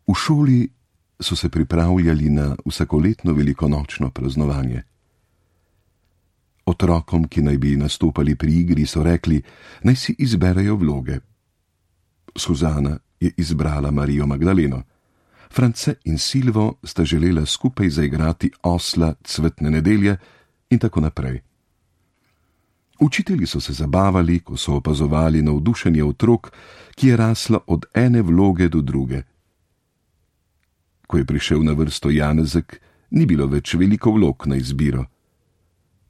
V šoli so se pripravljali na vsakoletno velikonočno praznovanje. Otrokom, ki naj bi nastopali pri igri, so rekli, naj si izberejo vloge. Suzana je izbrala Marijo Magdaleno. France in Silvo sta želela skupaj zaigrati osla cvetne nedelje in tako naprej. Učitelji so se zabavali, ko so opazovali navdušenje otrok, ki je raslo od ene vloge do druge. Ko je prišel na vrsto Janezek, ni bilo več veliko vlog na izbiro.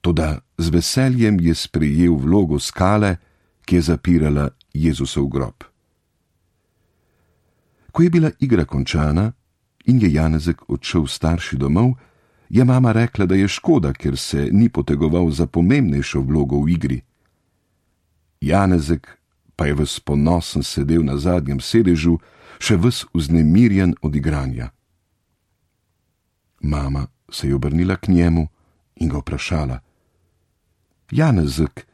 Toda z veseljem je sprejel vlogo skale, ki je zapirala Jezusov grob. Ko je bila igra končana in je Janezek odšel starši domov, je mama rekla, da je škoda, ker se ni potegoval za pomembnejšo vlogo v igri. Janezek pa je ves ponosen sedel na zadnjem sedežu, še ves vznemirjen od igranja. Mama se je obrnila k njemu in ga vprašala: Janezek,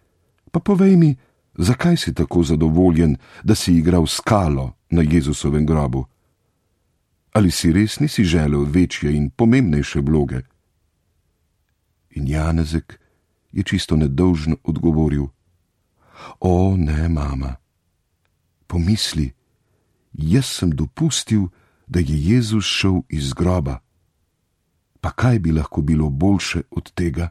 pa povej mi, zakaj si tako zadovoljen, da si igral skalo na Jezusovem grobu? Ali si res nisi želel večje in pomembnejše vloge? In Janezek je čisto nedolžno odgovoril: O, ne, mama. Pomisli, jaz sem dopustil, da je Jezus šel iz groba. Pa kaj bi lahko bilo boljše od tega?